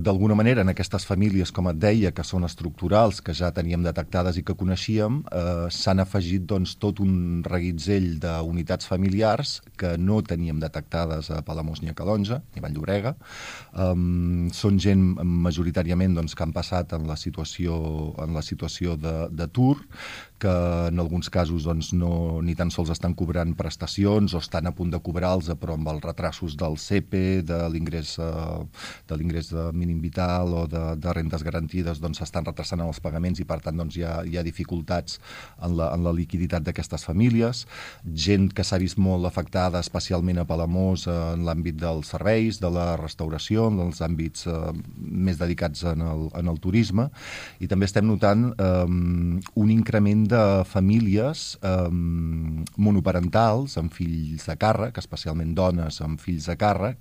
D'alguna manera, en aquestes famílies, com et deia, que són estructurals, que ja teníem detectades i que coneixíem, s'han afegit doncs, tot un reguitzell d'unitats familiars que no teníem detectades a Palamós ni a Calonge, ni a Vall-llobrega. Són gent majoritàriament doncs, que han passat en la situació d'atur, que en alguns casos doncs, ni tan sols estan cobrant prestacions o estan a punt de cobrar-los, però amb els retrasos del CEPE, de l'ingrés mínim vital o de rendes garantides doncs s'estan retrasant els pagaments i per tant doncs, hi ha dificultats en la liquiditat d'aquestes famílies. Gent que s'ha vist molt afectada, especialment a Palamós, en l'àmbit dels serveis, de la restauració, en els àmbits més dedicats en el turisme, i també estem notant un increment de famílies monoparentals amb fills a càrrec, especialment dones amb fills a càrrec,